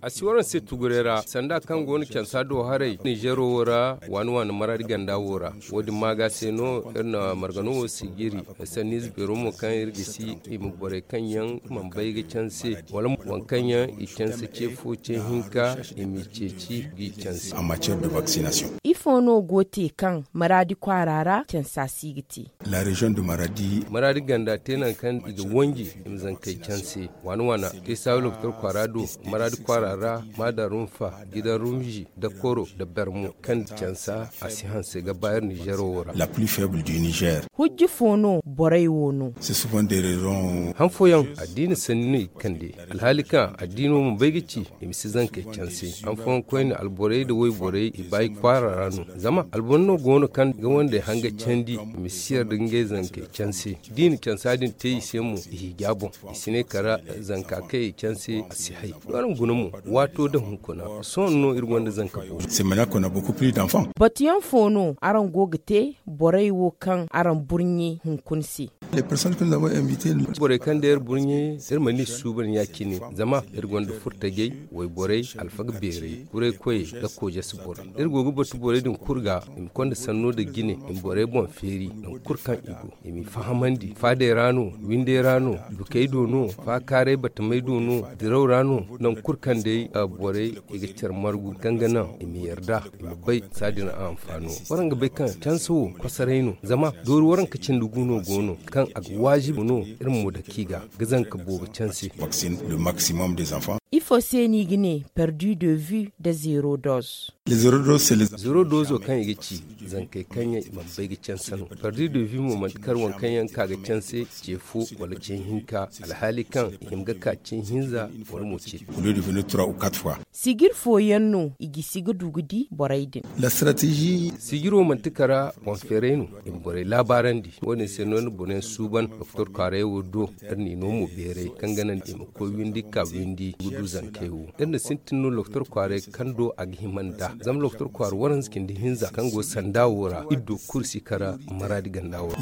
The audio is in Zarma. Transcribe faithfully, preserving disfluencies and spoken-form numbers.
A si waraŋ se tuguray ra sanda kaŋ go no cansa do haray ninzeero wo ra, waani waani maraadi ganda wo ra. Wo- din maaga se no iri na margano wo sijiri. Sanniize beero mo kaŋ iri gisi i ma borey kaŋ yaŋ mana bay ga canse wala waŋ kaŋ yaŋ i canse ce fo ce hinka, i m'i ceeci g'i canse. Ifo no go te kaŋ maraadi kwaara ra cansa si ga te? Maraadi ganda te nangu kaŋ i ga wanji i ma zankey canse. Waana waana te saawi lokotor kwaara do, maraadi kwaara ra, maada rumfa, gidan rumzi, dakoro nda bermo kaŋ cansa a si hanse ga ba iri nizeero wo ra. Hujji fo no borey wo no? Han fooyaŋ addiina sanni no i ga kande. Alhaali kaŋ addiino mana bay ga ci i ma si zankey canse. Han fooyaŋ koyne alborey nda wayborey i ba i kwaara ra no. Zama alboro no go no kaŋ ga wandey hanga candi i ma si yarda ngey zankey canse. Da i na cansa din te i se mo i hija boŋ. I si ne kara zanka kaŋ i canse a si hay. Araŋ guna mo, waato da hunkuna sohõ no iri gonda zanka boobo. Batuyaŋ fo no araŋ go ga te borey wo kaŋ araŋ burɲe hunkuna se? Borey kaŋ day iri burɲe, iri mana i suuban ya- cine. Zama iri gonda furtajey, wayborey, alfaga beerey, kuray koyey nda koojasi borey. Iri go ga batu borey din kulu ga i ma konda sanno nda jine i ma borey boŋ feeri nangu kulu kaŋ i go, i m'i fahamandi faadey ra no, windey ra no, dukey do no, faakaaray batamey do no, diraw ra no. Nangu kulu kaŋ day borey i ga care margu kaŋ ga naŋ i ma yarda i ma bay saadin a hanfaano. Waraŋ ga bay kaŋ canse wo kosoray no, zama doori waranka cindi gu no go no kaŋ a ga waajibi no iri ma mo dake i ga ga zanka boobo canse. Ifo se no i ga ne perdu de vue nda zero dose? Zero dose kaŋ i ga ci zankey kaŋ yaŋ i mana bay ga canse no. Perdu de vue mo manti kar waŋ kaŋ yaŋ ka ga canse ce fo wala ce hinka, alhaali kaŋ i hima ga ka ce hinza wala mo ce. Sijir fooyaŋ no i gisi ga du ga di borey din? Sijiro manti kara boŋ feeray no i ma borey laabaarandi. Wo- din se no ni boroyaŋ suuban lokotor kwaaray wo do. Iri n'i no mo beeray kaŋ ga naŋ i ma koy windi ka windi ga du zankey wo. Iri na sintin no lokotor kwaaray kaŋ do a ga hima nd'a zama lokotor kwaara waranza cindi hinza kaŋ go sanda wo ra iri do kulu si kara maraadi ganda wo ra.